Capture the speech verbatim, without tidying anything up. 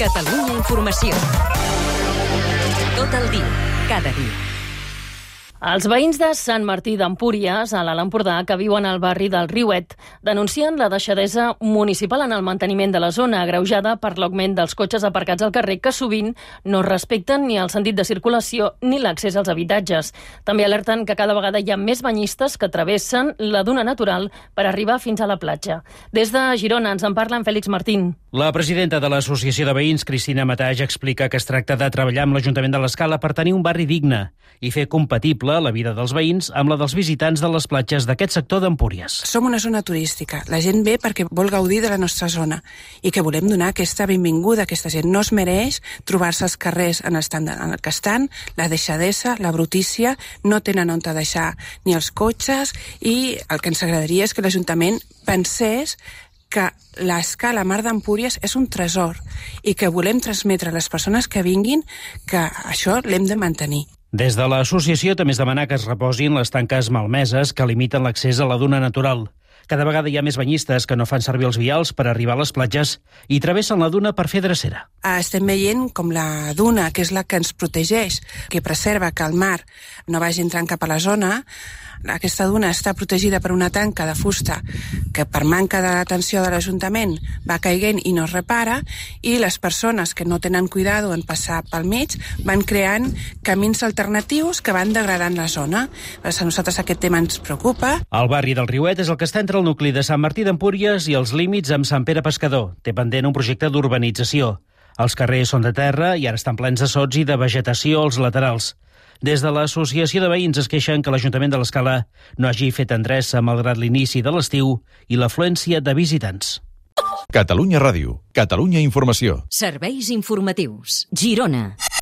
Catalunya Informació. Tot el dia, cada dia. Els veïns de Sant Martí d'Empúries, a l'Alt Empordà, que viuen al barri del Riuet, denuncien la deixadesa municipal en el manteniment de la zona, agreujada per l'augment dels cotxes aparcats al carrer, que sovint no respecten ni el sentit de circulació ni l'accés als habitatges. També alerten que cada vegada hi ha més banyistes que travessen la duna natural per arribar fins a la platja. Des de Girona ens en parla en Fèlix Martín. La presidenta de l'Associació de Veïns, Cristina Mataix, explica que es tracta de treballar amb l'Ajuntament de l'Escala per tenir un barri digne i fer compatible la vida dels veïns amb la dels visitants de les platges d'aquest sector d'Empúries. Som una zona turística. La gent ve perquè vol gaudir de la nostra zona i que volem donar aquesta benvinguda. Aquesta gent no es mereix trobar-se als carrers en el estat en el que estan, la deixadesa, la brutícia, no tenen on deixar ni els cotxes, i el que ens agradaria és que l'Ajuntament pensés que l'Escala Mar d'Empúries és un tresor i que volem transmetre a les persones que vinguin que això l'hem de mantenir. Des de l'associació també es demana que es reposin les tanques malmeses que limiten l'accés a la duna natural. Cada vegada hi ha més banyistes que no fan servir els vials per arribar a les platges i travessen la duna per fer drecera. Estem veient com la duna, que és la que ens protegeix, que preserva que el mar no vagi entrant cap a la zona, aquesta duna està protegida per una tanca de fusta que per manca d'atenció de l'Ajuntament va caiguent i no es repara, i les persones que no tenen cuidado en passar pel mig van creant camins alternatius que van degradant la zona. A nosaltres aquest tema ens preocupa. El barri del Riuet és el que està entre el nucli de Sant Martí d'Empúries i els límits amb Sant Pere Pescador. Té pendent un projecte d'urbanització. Els carrers són de terra i ara estan plens de sots i de vegetació als laterals. Des de l'Associació de Veïns es queixen que l'Ajuntament de l'Escala no hagi fet endreça malgrat l'inici de l'estiu i l'afluència de visitants. Catalunya Ràdio, Catalunya Informació. Serveis informatius. Girona.